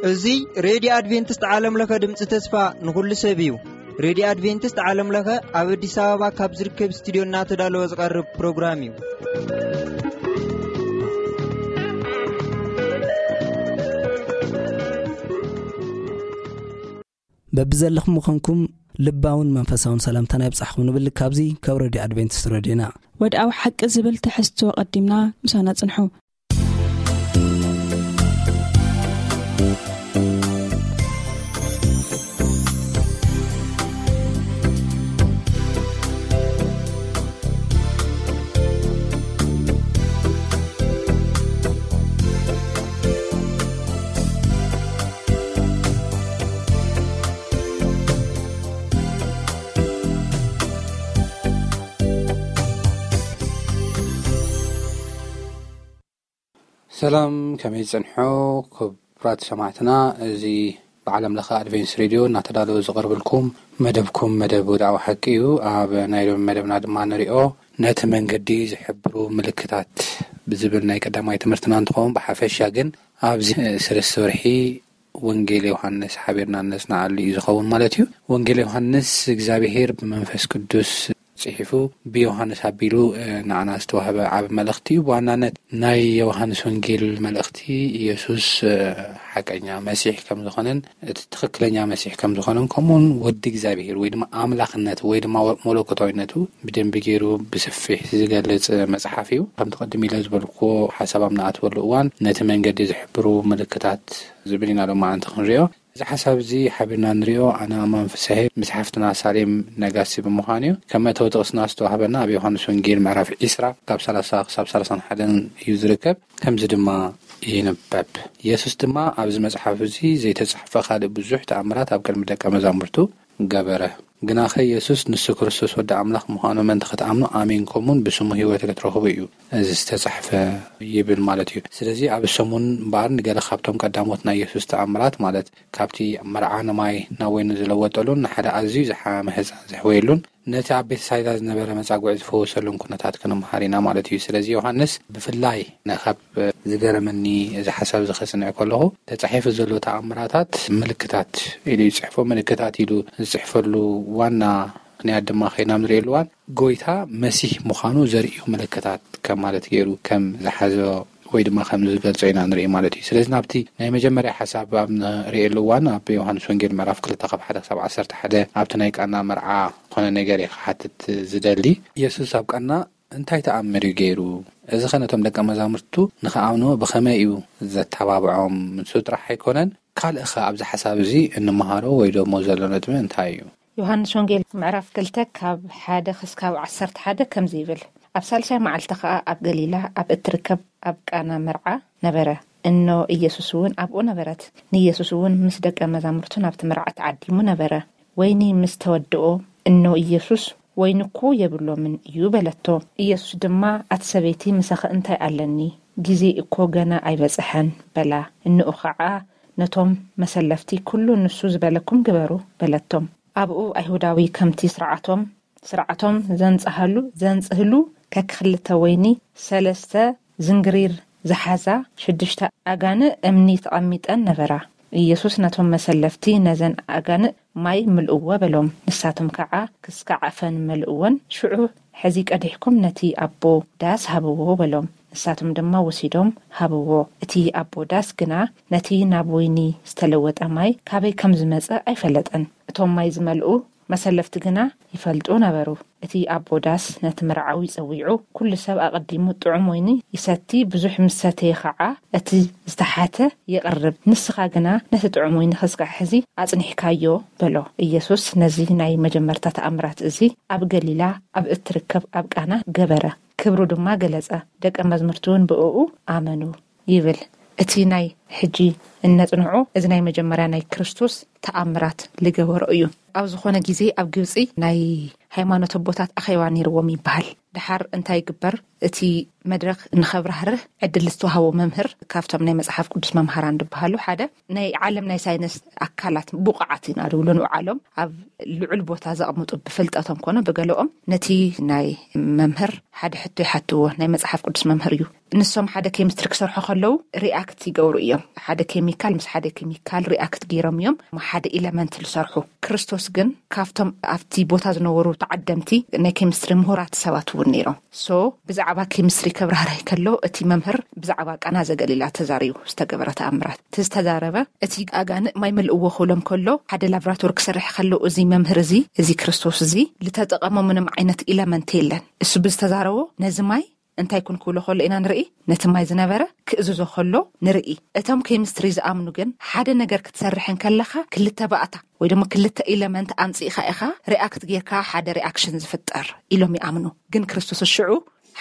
እዚ ሬድዮ ኣድቬንቲስት ዓለም ለኸ ድምፂ ተስፋ ንኹሉ ሰብ እዩ። ሬድዮ ኣድቬንቲስት ዓለም ለኸ ኣብ ኣዲስ ኣበባ ካብ ዝርከብ ስቱዲዮ እናተዳለወ ዝቐርብ ፕሮግራም እዩ። በብዘለኹም ምዃንኩም ልባውን መንፈሳውን ሰላምታና ይብጻሕኩም ንብል። ካብዚ ካብ ሬድዮ ኣድቬንቲስት ሬድዮና። ወድኣዊ ሓቂ ዝብል ትሕዝቶ ቀዲምና ምሳና ጽንሑ። ሰላም፣ ከመይ ጸንሑ ክቡራት ሰማዕትና? እዚ ብዓለም ለኸ ኣድቬንስ ሬድዮ እናተዳለወ ዝቐርብልኩም መደብኩም መደብ ወድኣዊ ሓቂ እዩ። ኣብ ናይ ሎሚ መደብና ድማ ንሪኦ ነቲ መንገዲ ዝሕብሩ ምልክታት ብዝብል ናይ ቀዳማይ ትምህርትና እንትኸውን፣ ብሓፈሻ ግን ኣብዚ ሰለስተ ወርሒ ወንጌል ዮሃንስ ሓቢርና ነጽንዓሉ እዩ ዝኸውን ማለት እዩ። ወንጌል ዮሃንስ እግዚኣብሄር ብመንፈስ ቅዱስ ጽሒፉ ብዮሃንስ ኣቢሉ፣ እ፣ ንዓና ዝተዋህበ ዓቢ መልእኽቲ እዩ። ብዋናነት ናይ ዮሃንስ ወንጌል መልእኽቲ ኢየሱስ፣ እ፣ ሓቀኛ መሲሕ ከም ዝኾነን እቲ ትኽክለኛ መሲሕ ከም ዝኾነን ከምኡውን ወዲ እግዚኣብሄር ወይ ድማ ኣምላኽነት ወይ ድማ መለኮታዊነቱ ብደንቢ ገይሩ ብሰፊሕ ዝገልጽ መጽሓፍ እዩ። ከምቲ ቅድም ኢለ ዝበልኩዎ ሓሳብ ኣብ ንኣትወሉ እዋን ነቲ መንገዲ ዝሕብሩ ምልክታት ዝብል ኢና ሎማዓንቲ ክንሪኦ። እዚ ሓሳብ እዚ ሓቢርና ንሪኦ ኣነ ኣማን ፍስሐ ምስ ሓፍትና ሳሌም ነጋሲ ብምዃን እዩ። ከም መእተዊ ጥቕስና ዝተዋህበና ኣብ ዮሃንስ ወንጌል ምዕራፍ ዒስራ ካብ ሰላሳ ክሳብ ሰላሳን ሓደን እዩ ዝርከብ። ከምዚ ድማ ይንበብ። የሱስ ድማ ኣብዚ መጽሓፍ እዚ ዘይተጻሕፈ ካልእ ብዙሕ ተኣምራት ኣብ ቅድሚ ደቀ መዛሙርቱ ገበረ። ግናኸ የሱስ ንሱ ክርስቶስ ወዲ ኣምላኽ ምዃኑ ምእንቲ ክትኣምኑ ኣሚንኩምን ብስሙ ህይወት ክትረኽቡ እዩ እዚ ዝተጻሕፈ ይብል ማለት እዩ። ስለዚ ኣብ ሰሙን እምበኣር ንገለ ካብቶም ቀዳሞት ናይ የሱስ ተኣምራት ማለት ካብቲ መርዓ ንማይ ናብ ወይኒ ዝለወጠሉን ንሓደ ኣዝዩ ዝሓመ ህጻን ዘሕወየሉን ነቲ ኣብ ቤተሳይዳ ዝነበረ መጻጉዒ ዝፈወሰሉን ኩነታት ክንምሃር ኢና ማለት እዩ። ስለዚ ዮሃንስ ብፍላይ ነ-፣ ካብ ዝገረመኒ እዚ ሓሳብ እዚ ከጽንዕ ከለኹ ተጻሒፉ ዘሎ ተኣምራታት ምልክታት ኢሉ ይጽሕፎ። ምልክታት ኢሉ ዝጽሕፈሉ ዋና ምኽንያት ድማ ከይና ንርእየሉ እዋን ጎይታ መሲህ ምዃኑ ዘርእዩ ምልክታት ከም ማለት ገይሩ ከም ዝሓዞ ወይ ድማ ከም ዝገልጾ ኢና ንርኢ ማለት እዩ። ስለዚ ናብቲ ናይ መጀመርያ ሓሳብ ኣብ ንርእየሉ እዋን ኣብ ዮሃንስ ወንጌል ምዕራፍ ክልተ ካብ ሓደ ክሳብ ዓሰርተ ሓደ ኣብቲ ናይ ቃና መርዓ ዝኾነ ነገር እየ ክሓትት ዝደሊ። የሱስ ኣብ ቃና እንታይ ተኣምር እዩ ገይሩ? እዚ ኸ ነቶም ደቀ መዛሙርቱ ንኽኣምንዎ ብኸመይ እዩ ዘተባብዖም? ንሱ ጥራሕ ኣይኮነን፣ ካልእ ኸ ኣብዚ ሓሳብ እዚ እንመሃሮ ወይ ደሞ ዘሎ ነጥቢ እንታይ እዩ? ዮሃንስ ወንጌል ምዕራፍ ክልተ ካብ ሓደ ክስካብ ዓሰርተ ሓደ ከምዚ ይብል፣ ኣብ ሳልሳይ መዓልቲ ኸኣ ኣብ ገሊላ ኣብ እትርከብ ኣብ ቃና መርዓ ነበረ። እኖ ኢየሱስ እውን ኣብኡ ነበረት። ንኢየሱስ እውን ምስ ደቀ መዛሙርቱ ናብቲ መርዓ ተዓዲሙ ነበረ። ወይኒ ምስ ተወድኦ፣ እኖ ኢየሱስ፣ "ወይኒ እኮ የብሎምን እዩ" በለቶ። ኢየሱስ ድማ፣ "ኣቲ ሰበይቲ፣ ምሳኺ እንታይ ኣለኒ? ግዜ እኮ ገና ኣይበጽሐን" በላ። እንኡ ኸዓ ነቶም መሰለፍቲ፣ "ኩሉ ንሱ ዝበለኩም ግበሩ" በለቶም። ኣብኡ ኣይሁዳዊ ከምቲ ስርዓቶም፣ ስርዓቶም ዘንጽሃሉ፣ ዘንጽህሉ ከክኽልተ ወይኒ፣ ሰለስተ ዝንግሪር ዝሓዛ ሽዱሽተ ኣጋንእ እምኒ ተቐሚጠን ነበራ። ኢየሱስ ነቶም መሰለፍቲ፣ "ነዘን ኣጋንእ ማይ ምልእዎ" በሎም። ንሳቶም ከዓ ክስካዕ ኣፈን መልእወን። ሽዑ፣ "ሕዚ ቀዲሕኩም ነቲ ኣቦ ዳስ ሃብዎ" በሎም። ንሳቶም ድማ ወሲዶም ሃብዎ። እቲ ኣቦ ዳስ ግና ነቲ ናብ ወይኒ ዝተለወጠ ማይ ካበይ ከም ዝመጸ ኣይፈለጠን። እቶም ማይ ዝመልኡ መሰለፍቲ ግና ይፈልጡ ነበሩ። እቲ ኣቦ ዳስ ነቲ መርዓዊ ጸዊዑ፣ "ኩሉ ሰብ ኣቐዲሙ ጥዑም ወይኒ ይሰቲ፣ ብዙሕ ምስ ሰተየ ኸዓ እቲ ዝተሓተ የቕርብ። ንስኻ ግና ነቲ ጥዑም ወይኒ ክስካዕ ሕዚ ኣጽኒሕካዮ" በሎ። ኢየሱስ ነዚ ናይ መጀመርታ ተኣምራት እዚ ኣብ ገሊላ ኣብ እትርከብ ኣብ ቃና ገበረ። ክብሩ ድማ ገለጸ። ደቀ መዝሙርቱ እውን ብእኡ ኣመኑ ይብል። እቲ ናይ ሕጂ እነጽንዖ፣ እዚ ናይ መጀመርያ ናይ ክርስቶስ ተኣምራት ልገበሮ እዩ። ኣብ ዝኾነ ግዜ ኣብ ግብጺ ናይ ሃይማኖት ኣቦታት ኣኼባ ነይርዎም ይበሃል። ድሓር እንታይ ይግበር? እቲ መድረኽ ንኸብራህርህ ዕድል ዝተዋሃቦ መምህር ካብቶም ናይ መጽሓፍ ቅዱስ መምሃራን ዝበሃሉ ሓደ ናይ ዓለም ናይ ሳይንስ ኣካላት ብቑዓት ኢና ድብሎ ንውዓሎም ኣብ ልዑል ቦታ ዘቕምጡ ብፍልጠቶም ኮነ ብገለኦም ነቲ ናይ መምህር ሓደ ሕቶ ይሓትዎ። ናይ መጽሓፍ ቅዱስ መምህር እዩ። ንሶም ሓደ ኬሚስትሪ ክሰርሑ ከለዉ ሪኣክት ይገብሩ እዮም። ሓደ ኬሚካል ምስ ሓደ ኬሚካል ሪኣክት ገይሮም እዮም ሓደ ኢለመንት ዝሰርሑ። ክርስቶስ ግን ካብቶም ኣብቲ ቦታ ዝነበሩ ተዓደምቲ ናይ ኬሚስትሪ ምሁራት ሰባት እውን ነይሮም። ሶ ብዛዕባ ኬሚስትሪ ከብራህርህ ከሎ እቲ መምህር ብዛዕባ ቃና ዘገሊላ ተዛሪቡ ዝተገበረ ተኣምራት እቲ ዝተዛረበ እቲ ኣጋንእ ማይ ምልእዎ ክብሎም ከሎ ሓደ ላብራቶሪ ክሰርሕ ከሎ እዚ መምህር እዚ እዚ ክርስቶስ እዚ ዝተጠቐሞ ምንም ዓይነት ኢለመንት የለን። እሱ ብዝተዛረቦ ነዚ ማይ እንታይ ኩን ክብሎ ከሎ ኢና ንርኢ። ነቲ ማይ ዝነበረ ክእዝዞ ከሎ ንርኢ። እቶም ኬሚስትሪ ዝኣምኑ ግን ሓደ ነገር ክትሰርሕ እንከለኻ ክልተ ባእታ ወይ ድማ ክልተ ኢለመንት ኣምፂእኻ ኢኻ ሪኣክት ጌርካ ሓደ ሪኣክሽን ዝፍጠር ኢሎም ይኣምኑ። ግን ክርስቶስ ሽዑ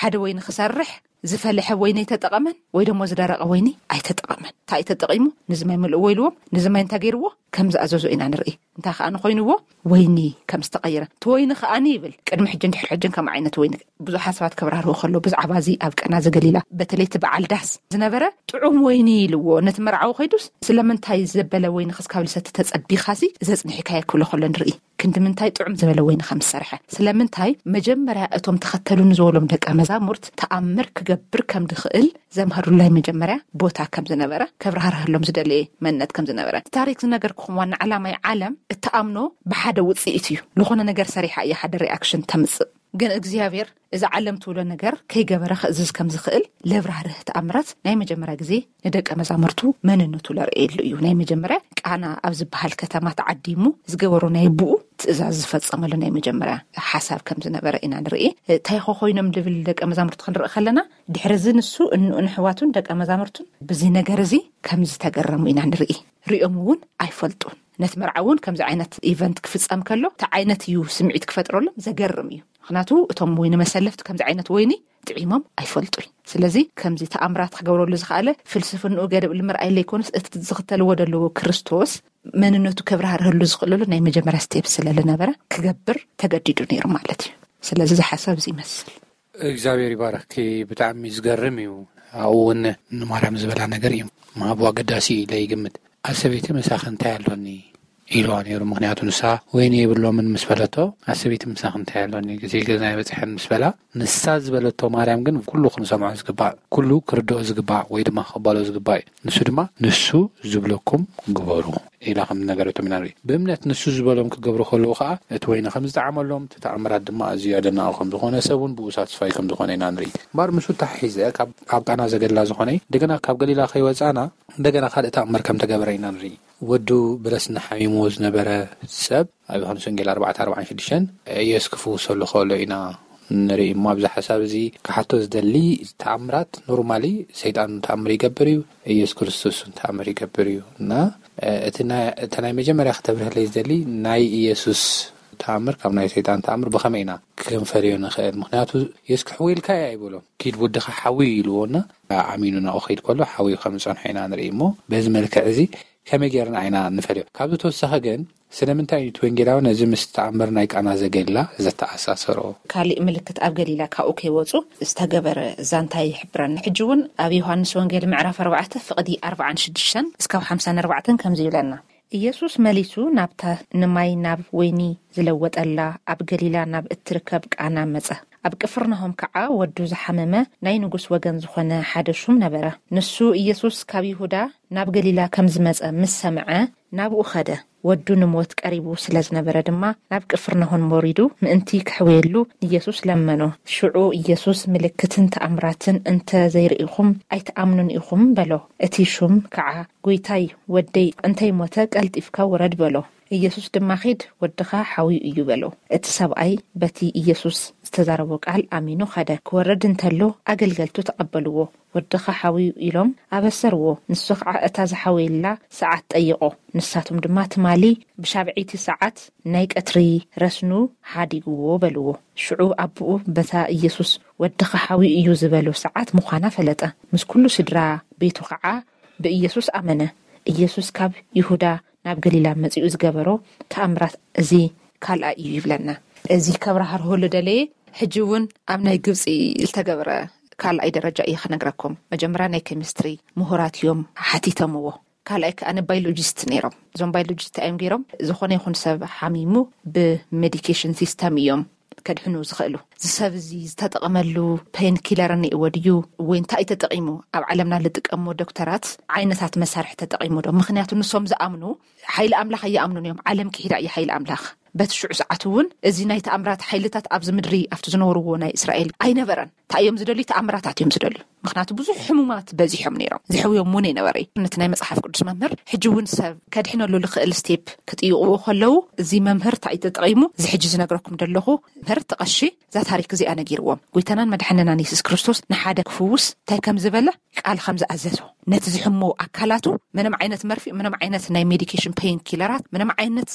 ሓደ ወይኒ ክሰርሕ ዝፈለሐ ወይኒ ኣይተጠቐመን ወይ ደሞ ዝደረቐ ወይኒ ኣይተጠቐመን። እንታይ እዩ ተጠቒሙ? ንዚ ማይ ምልእዎ ኢልዎም፣ ንዚ ማይ እንታይ ገይርዎ? ከም ዝኣዘዞ ኢና ንርኢ። እንታይ ከኣ ንኮይንዎ? ወይኒ ከም ዝተቐየረ። እቲ ወይኒ ከኣኒ ይብል ቅድሚ ሕጂ እንድሕር ሕጂ ከም ዓይነት ወይኒ ብዙሓት ሰባት ከብራርሁ ከሎ ብዛዕባ እዚ ኣብ ቀና ዘገሊላ በተለይ እቲ በዓል ዳስ ዝነበረ ጥዑም ወይኒ ኢልዎ ነቲ መርዓዊ ከይዱስ ስለምንታይ ዘበለ ወይኒ ክስካብ ልሰቲ ተጸቢኻሲ ዘጽኒሕካዮ ክብሎ ከሎ ንርኢ። ክንዲ ምንታይ ጥዑም ዝበለ ወይኒ ከም ዝሰርሐ፣ ስለምንታይ መጀመርያ እቶም ተኸተሉኒ ዝበሎም ደቀ መዛሙርት ተኣምር ክገብር ከም ድኽእል ዘምሃሩሉ ናይ መጀመርያ ቦታ ከም ዝነበረ፣ ከብራህርሃሎም ዝደለየ መንነት ከም ዝነበረ። እቲ ታሪክ ዝነገርኩኹም ዋና ዓላማይ ዓለም እትኣምኖ ብሓደ ውጽኢት እዩ። ዝኾነ ነገር ሰሪሓ እያ ሓደ ሪኣክሽን ተምጽእ። ግን እግዚኣብሔር እዚ ዓለም ትብሎ ነገር ከይገበረ ክእዝዝ ከም ዝኽእል ለብራህርህ ተኣምራት ናይ መጀመርያ ግዜ ንደቀ መዛሙርቱ መንነቱ ለርእየሉ እዩ። ናይ መጀመርያ ቃና ኣብ ዝበሃል ከተማ ተዓዲሙ ዝገበሮ ናይ ብኡ ትእዛዝ ዝፈጸመሉ ናይ መጀመርያ ሓሳብ ከም ዝነበረ ኢና ንርኢ። እንታይ ኾ ኮይኖም ልብል ደቀ መዛሙርቱ ክንርኢ ከለና ድሕሪ እዚ ንሱ እንኡን ኣሕዋቱን ደቀ መዛሙርቱን ብዚ ነገር እዚ ከም ዝተገረሙ ኢና ንርኢ። ሪኦም እውን ኣይፈልጡን። ነቲ መርዓ እውን ከምዚ ዓይነት ኢቨንት ክፍጸም ከሎ እቲ ዓይነት እዩ ስምዒት ክፈጥረሎም ዘገርም እዩ። ምክንያቱ እቶም ወይኒ መሰለፍቲ ከምዚ ዓይነት ወይኒ ጥዒሞም ኣይፈልጡን። ስለዚ ከምዚ ተኣምራት ክገብረሉ ዝኸኣለ ፍልስፍንኡ ገደብ ንምርኣይ ለይኮነስ እቲ ዝኽተልዎ ዘለዉ ክርስቶስ መንነቱ ከብራህርህሉ ዝኽእለሉ ናይ መጀመርያ ስቴፕ ስለ ዝነበረ ክገብር ተገዲዱ ነይሩ ማለት እዩ። ስለዚ እዚ ሓሳብ እዚ ይመስል። እግዚኣብሔር ይባረኽኪ። ብጣዕሚ ዝገርም እዩ። ኣብኡ እውን ንማርያም ዝበላ ነገር እዩ ምሃቡ ኣገዳሲ እዩ ኢለ ይግምት። ኣሰበይቲ ምሳኺ እንታይ ኣሎኒ ኢልዋ ነይሩ። ምክንያቱ ንሳ ወይኒ የብሎምን ምስ በለቶ ኣሰበይቲ ምሳኺ እንታይ ኣሎኒ ግዜ ገዛ ይበፅሐን ምስ በላ ንሳ ዝበለቶ ማርያም ግን ኩሉ ክንሰምዖ ዝግባእ ኩሉ ክርድኦ ዝግባእ ወይ ድማ ክባሎ ዝግባእ እዩ። ንሱ ድማ ንሱ ዝብለኩም ግበሩ ኢላ ከም ነገረቶም ኢና ንርኢ። ብእምነት ንሱ ዝበሎም ክገብሩ ከለዉ ከዓ እቲ ወይኒ ከም ዝጠዓመሎም እቲ ተኣምራት ድማ ኣዝዩ ኣደናቂ ከም ዝኾነ ሰብ እውን ብኡ ሳትስፋይ ከም ዝኾነ ኢና ንርኢ። እምበር ምስኡ ተሓሒዘ ካብ ኣብ ቃና ዘገላ ዝኾነ እንደገና ካብ ገሊላ ከይወፃና እንደገና ካልእ ተኣምር ከም ተገበረ ኢና ንርኢ። ወዱ ብረስኒ ሓሚሙ ዝነበረ ሰብ ኣብ ዮሃንስ ወንጌል ኣርባዕተ ኣርባዓን ሽዱሽተን ኢየሱስ ክፍውሰሉ ከሎ ኢና ንርኢ እሞ ኣብዚ ሓሳብ እዚ ክሓቶ ዝደሊ ተኣምራት ኖርማሊ ሰይጣን ተኣምር ይገብር እዩ። ኢየሱስ ክርስቶስ እውን ተኣምር ይገብር እዩ እና እቲ ናይ መጀመርያ ክተብርህለይ ዝደሊ ናይ ኢየሱስ ተኣምር ካብ ናይ ሰይጣን ተኣምር ብኸመይ ኢና ክንፈልዮ ንኽእል? ምክንያቱ የስ ክሕውልካ እያ ይብሎ ኪድ ውድኻ ሓዊ ኢልዎና ኣሚኑ ናኡ ከይድ ከሎ ሓዊ ከም ዝፀንሖ ኢና ንርኢ እሞ በዚ መልክዕ እዚ ከመይ ጌርና ኢና ንፈልዮ? ካብዚ ተወሳኺ ግን ስለምንታይ እዩ እቲ ወንጌላዊ ነዚ ምስ ተኣምር ናይ ቃና ዘገሊላ ዘተኣሳሰሮ? ካሊእ ምልክት ኣብ ገሊላ ካብኡ ከይወፁ ዝተገበረ ዛንታ ይሕብረና። ሕጂ እውን ኣብ ዮሃንስ ወንጌል ምዕራፍ ኣርባዕተ ፍቕዲ ኣርባዓን ሽዱሽተን እስካብ ሓምሳን ኣርባዕተን ከምዚ ይብለና። ኢየሱስ መሊሱ ናብታ ንማይ ናብ ወይኒ ዝለወጠላ ኣብ ገሊላ ናብ እትርከብ ቃና መጸ። ኣብ ቅፍርናሆም ከዓ ወዱ ዝሓመመ ናይ ንጉስ ወገን ዝኾነ ሓደ ሹም ነበረ። ንሱ ኢየሱስ ካብ ይሁዳ ናብ ገሊላ ከም ዝመጸ ምስ ሰምዐ ናብኡ ኸደ። ወዱ ንሞት ቀሪቡ ስለ ዝነበረ ድማ ናብ ቅፍርናሆን ወሪዱ ምእንቲ ክሕውየሉ ንኢየሱስ ለመኖ። ሽዑ ኢየሱስ ምልክትን ተኣምራትን እንተ ዘይርኢኹም ኣይትኣምኑን ኢኹም በሎ። እቲ ሹም ከዓ ጎይታይ ወደይ እንተይሞተ ቀልጢፍካ ውረድ በሎ። ኢየሱስ ድማ ኺድ ወድኻ ሓውዩ እዩ በሎ። እቲ ሰብኣይ በቲ ኢየሱስ ዝተዛረቦ ቃል ኣሚኑ ኸደ። ክወርድ እንተሎ ኣገልገልቱ ተቐበልዎ። ወድኻ ሓውዩ ኢሎም ኣበሰርዎ። ንሱ ኸዓ እታ ዝሓወየላ ሰዓት ጠይቖ። ንሳቶም ድማ ትማሊ ብሻብዐይቲ ሰዓት ናይ ቀትሪ ረስኑ ሓዲግዎ በልዎ። ሽዑ ኣቦኡ በታ ኢየሱስ ወድኻ ሓውዩ እዩ ዝበሎ ሰዓት ምዃና ፈለጠ። ምስ ኩሉ ስድራ ቤቱ ኸዓ ብኢየሱስ ኣመነ። ኢየሱስ ካብ ይሁዳ ናብ ገሊላ መጺኡ ዝገበሮ ተኣምራት እዚ ካልኣይ እዩ ይብለና። እዚ ከብራህርሆ ልደለየ ሕጂ እውን ኣብ ናይ ግብፂ ዝተገብረ ካልኣይ ደረጃ እየ ክነግረኩም። መጀመርያ ናይ ኬሚስትሪ ምሁራት እዮም ሓቲተምዎ። ካልኣይ ከዓ ንባዮሎጂስት ነይሮም። እዞም ባዮሎጂስት እዮም ገይሮም፣ ዝኾነ ይኹን ሰብ ሓሚሙ ብሜዲኬሽን ሲስተም እዮም ከድሕኑ ዝኽእሉ። እዚ ሰብ እዚ ዝተጠቐመሉ ፔን ኪለር እኒእዎ ድዩ ወይ እንታይ ተጠቒሙ? ኣብ ዓለምና ልጥቀሞ ዶክተራት ዓይነታት መሳርሒ ተጠቒሙ ዶ? ምክንያቱ ንሶም ዝኣምኑ ሓይሊ ኣምላኽ ኣይኣምኑን እዮም። ዓለም ክሒዳ እዩ ሓይሊ ኣምላኽ። በቲ ሽዑ ሰዓት እውን እዚ ናይ ተኣምራት ሓይልታት ኣብዚ ምድሪ ኣብቲ ዝነበርዎ ናይ እስራኤል ኣይነበረን። እንታይ እዮም ዝደልዩ? ተኣምራታት እዮም ዝደልዩ። ምክንያቱ ብዙሕ ሕሙማት በዚሖም ነይሮም። ዝሕውዮም እውን ኣይነበረ። ነቲ ናይ መጽሓፍ ቅዱስ መምህር ሕጂ እውን ሰብ ከድሕነሉ ልኽእል ስቴፕ ክጥይቕዎ ከለዉ፣ እዚ መምህር እንታይ ተጠቒሙ? እዚ ሕጂ ዝነግረኩም ዘለኹ መምህር፣ እቲ ቀሺ እዛ ታሪክ እዚኣ ነጊርዎም። ጎይታናን መድሓንናን የሱስ ክርስቶስ ንሓደ ክፍውስ እንታይ ከም ዝበለ ቃል ከም ዝኣዘዞ፣ ነቲ ዝሕሞ ኣካላቱ ምንም ዓይነት መርፊእ፣ ምንም ዓይነት ናይ ሜዲኬሽን ፔን ኪለራት፣ ምንም ዓይነት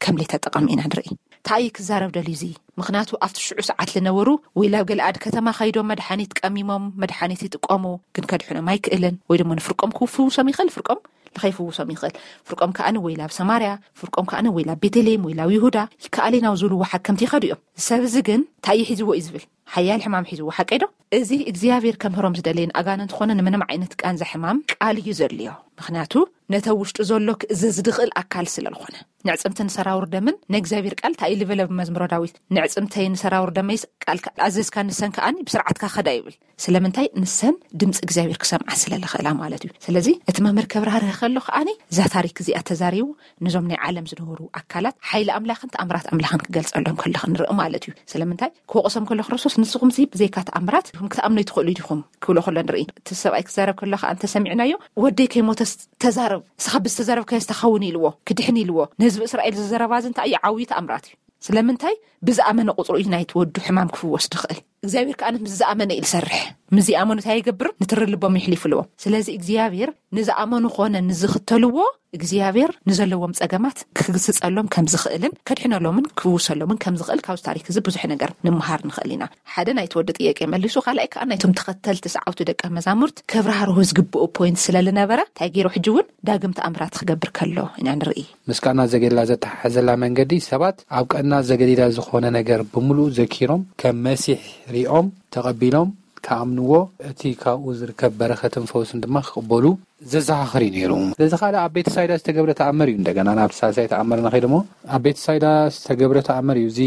ከም ዘይተጠቐም ኢና ንርኢ። እንታይ ክዛረብ ደልዩ እዚ? ምክንያቱ ኣብቲ ሽዑ ሰዓት ዝነበሩ ወይ ላብ ገለኣድ ከተማ ከይዶም መድሓኒት ቀሚሞም መድሓኒት ይጥቀሙ፣ ግን ከድሕኖም ኣይክእልን። ወይ ድማ ንፍርቆም ክፍውሶም ይኽእል፣ ፍርቆም ንኸይፍውሶም ይኽእል። ፍርቆም ከኣ ወይ ላብ ሰማርያ፣ ፍርቆም ከኣ ወይ ላብ ቤተልሔም ወይ ላብ ይሁዳ ይከኣል ናብ ዝብልዎ ሓከምቲ ይኸዱ እዮም። እዚ ሰብ እዚ ግን እንታይ እዩ ሒዝዎ እዩ ዝብል? ሓያል ሕማም ሒዝዎ፣ ሓቀይ ዶ? እዚ እግዚኣብሔር ከምህሮም ዝደለየን ኣጋንንት ኾነ ንምንም ዓይነት ቃንዛ ሕማም ቃል እዩ ዘድልዮ። ምክንያቱ ነተ ውሽጡ ዘሎ ክእዘዝ ዝኽእል ኣካል ስለ ዝኾነ። ንዕጽምቲ ንሰራውር ደምን ንእግዚኣብሔር ቃል እንታይ እዩ ዝበለ ብመዝሙረ ዳዊት? "ንዕጽምተይ ንሰራውር ደመይስ ቃልካ ኣዘዝካ፣ ንሰን ከኣኒ ብስርዓትካ ከዳ" ይብል። ስለምንታይ? ንሰን ድምፂ እግዚኣብሔር ክሰምዓ ስለ ዝኽእላ ማለት እዩ። ስለዚ እቲ መምህር ከብራህርህ ከሎ ከኣኒ እዛ ታሪክ እዚኣ ተዛሪቡ ነዞም ናይ ዓለም ዝነበሩ ኣካላት ሓይሊ ኣምላኽን ተኣምራት ኣምላኽን ክገልጸሎም ከሎ ክንርኢ ማለት እዩ። ስለምንታይ? ክወቕሶም ከሎ ክርስቶስ፣ "ንስኹም ሲ ብዘይካ ተኣምራት ኢኹም ክትኣምኑ ኣይትኽእሉ ዲኹም?" ክብሎ ከሎ ንርኢ። እቲ ሰብኣይ ክዛረብ ከሎ ከኣ እንተሰሚዕናዮ፣ "ወደይ ከይሞተስ ተዛረብ፣ ንስኻ ብዝተዛረብካዮ ዝተኸውን" ኢልዎ፣ ክድሕን ኢልዎ። ንህዝቢ እስራኤል ዝዘረባ እዚ እንታይ እዩ? ዓብዪ ተኣምራት እዩ። ስለምንታይ? ብዝኣመነ ቁጽሩ እዩ ናይቲ ወዱ ሕማም ክፍወስ ድኽእል። እግዚኣብሔር ከኣ ምስ ዝኣመነ እዩ ዝሰርሕ። ምስ ዘይኣመኑ እንታይ ይገብር? ንትሪ ልቦም ይሕሊፉ ኣለዎም። ስለዚ እግዚኣብሔር ንዝኣመኑ ኾነ ንዝኽተልዎ፣ እግዚኣብሔር ንዘለዎም ጸገማት ክግስጸሎም ከም ዝኽእልን ከድሕነሎምን ክፍውሰሎምን ከም ዝኽእል ካብዚ ታሪክ እዚ ብዙሕ ነገር ንምሃር ንኽእል ኢና። ሓደ ናይቲ ወዲ ጥያቄ መሊሱ፣ ካልኣይ ከኣ ናይቶም ተኸተልቲ ሰዓውቲ ደቀ መዛሙርት ከብራህርሁ ዝግብኡ ፖይንት ስለ ዝነበረ እንታይ ገይሩ? ሕጂ እውን ዳግም ተኣምራት ክገብር ከሎ ኢና ንርኢ። ምስ ቃና ዘገሊላ ዘተሓሕዘላ መንገዲ፣ ሰባት ኣብ ቃና ዘገሊላ ዝኾነ ነገር ብምሉኡ ዘኪሮም፣ ከም መሲሕ ሪኦም ተቐቢሎም ክኣምንዎ፣ እቲ ካብኡ ዝርከብ በረኸትን ፈውስን ድማ ክቕበሉ ዘዘኻኽር እዩ ነይሩ። ስለዚ ካልእ ኣብ ቤተሳይዳ ዝተገብረ ተኣምር እዩ። እንደገና ናብ ሳልሳይ ተኣምር ንኸይድ እሞ፣ ኣብ ቤተሳይዳ ዝተገብረ ተኣምር እዩ። እዚ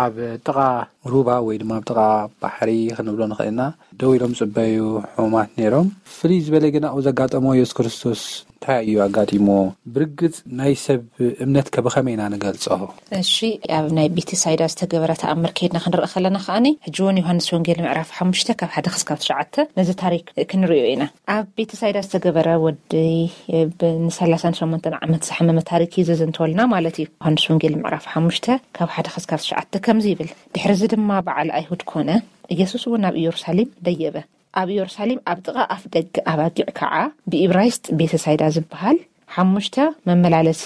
ኣብ ጥቓ ሩባ ወይ ድማ ኣብ ጥቓ ባሕሪ ክንብሎ ንኽእል ኢና። ደው ኢሎም ጽበዩ ሕሙማት ነይሮም። ፍልይ ዝበለ ግን ኣብኡ ዘጋጠሞ የሱስ ክርስቶስ እንታይ እዩ ኣጋጢሞ? ብርግጽ ናይ ሰብ እምነት ከ ብኸመይ ኢና ንገልጾ? እሺ፣ ኣብ ናይ ቤተሳይዳ ዝተገበረ ተኣምር ከይድና ክንርኢ ከለና ከኣኒ፣ ሕጂ እውን ዮሃንስ ወንጌል ምዕራፍ ሓሙሽተ ካብ ሓደ ክስካብ ትሽዓተ ነዚ ታሪክ ክንርእዮ ኢና። ኣብ ቤተሳይዳ ዝተገበረ ወዲ ብ-፣ ንሰላሳን ሸሞንተን ዓመት ዝሓመመ ታሪክ እዩ ዘዘንተወልና ማለት እዩ። ዮሃንስ ወንጌል ምዕራፍ ሓሙሽተ ካብ ሓደ ክስካብ ትሽዓተ ከምዚ ይብል፣ "ድሕሪ እዚ ድማ በዓል ኣይሁድ ኮነ፣ ኢየሱስ እውን ናብ ኢየሩሳሌም ደየበ። ኣብ ኢየሩሳሌም ኣብ ጥቓ ኣፍ ደገ ኣባጊዕ ከዓ ብኢብራይስጥ ቤተሳይዳ ዝበሃል ሓሙሽተ መመላለሲ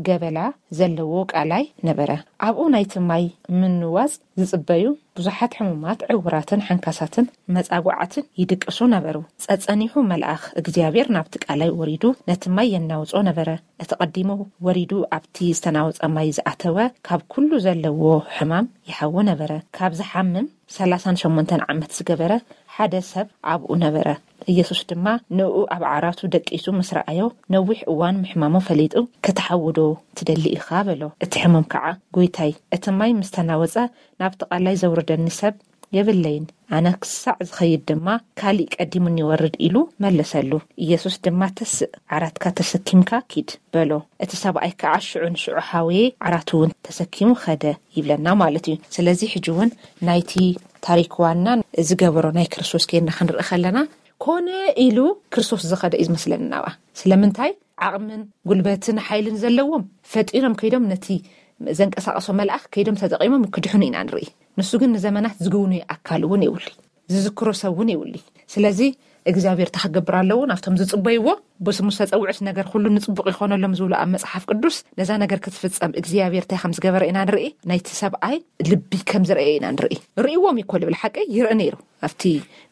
ገበላ ዘለዎ ቃላይ ነበረ። ኣብኡ ናይቲ ማይ ምንዋጽ ዝጽበዩ ብዙሓት ሕሙማት፣ ዕውራትን ሓንካሳትን መጻጉዓትን ይድቅሱ ነበሩ። ጸጸኒሑ መልኣኽ እግዚኣብሔር ናብቲ ቃላይ ወሪዱ ነቲ ማይ የናውጾ ነበረ። እቲ ቀዲሙ ወሪዱ ኣብቲ ዝተናወጸ ማይ ዝኣተወ ካብ ኩሉ ዘለዎ ሕማም ይሓዊ ነበረ። ካብ ዝሓምም ሰላሳን ሸሞንተን ዓመት ዝገበረ ሓደ ሰብ ኣብኡ ነበረ። ኢየሱስ ድማ ንእኡ ኣብ ዓራቱ ደቂሱ ምስ ረኣዮ፣ ነዊሕ እዋን ምሕማሙ ፈሊጡ፣ "ክትሓዊ ዶ ትደሊ ኢኻ?" በሎ። እቲ ሕሙም ከዓ፣ "ጐይታይ፣ እቲ ማይ ምስ ተናወጸ፣ ናብቲ ቃላይ ዘውርደኒ ሰብ የብለይን። ኣነ ክሳዕ ዝኸይድ ድማ፣ ካሊእ ቀዲሙኒ ይወርድ" ኢሉ መለሰሉ። ኢየሱስ ድማ፣ "ተስእ፣ ዓራትካ ተሰኪምካ ኪድ" በሎ። እቲ ሰብኣይ ከዓ ሽዑ ንሽዑ ሓወየ፣ ዓራቱ እውን ተሰኪሙ ኸደ ይብለና ማለት እዩ። ስለዚ ሕጂ እውን ናይቲ ታሪክ ዋና ዝገበሮ ናይ ክርስቶስ ኬድና ክንርኢ ከለና፣ ኮነ ኢሉ ክርስቶስ ዝኸደ እዩ ዝመስለኒ ናብኣ። ስለምንታይ? ዓቕምን ጉልበትን ሓይልን ዘለዎም ፈጢኖም ከይዶም ነቲ ዘንቀሳቐሶ መልኣኽ ከይዶም ተጠቒሞም ክድሕኑ ኢና ንርኢ። ንሱ ግን ንዘመናት ዝግውኑ ኣካል እውን የብሉይ፣ ዝዝክሮ ሰብ እውን የብሉይ። ስለዚ እግዚኣብሔር እንታይ ክገብር ኣለዎ? ናብቶም ዝጽበይዎ፣ ብስሙ ዝተጸውዑስ ነገር ኩሉ ንጽቡቕ ይኾነሎም ዝብሉ ኣብ መጽሓፍ ቅዱስ፣ ነዛ ነገር ክትፍጸም እግዚኣብሔር እንታይ ከም ዝገበረ ኢና ንርኢ። ናይቲ ሰብኣይ ልቢ ከም ዝረኣየ ኢና ንርኢ። ርእይዎም እዩ እኮ ልብል ሓቀይ ይርኢ ነይሩ ኣብቲ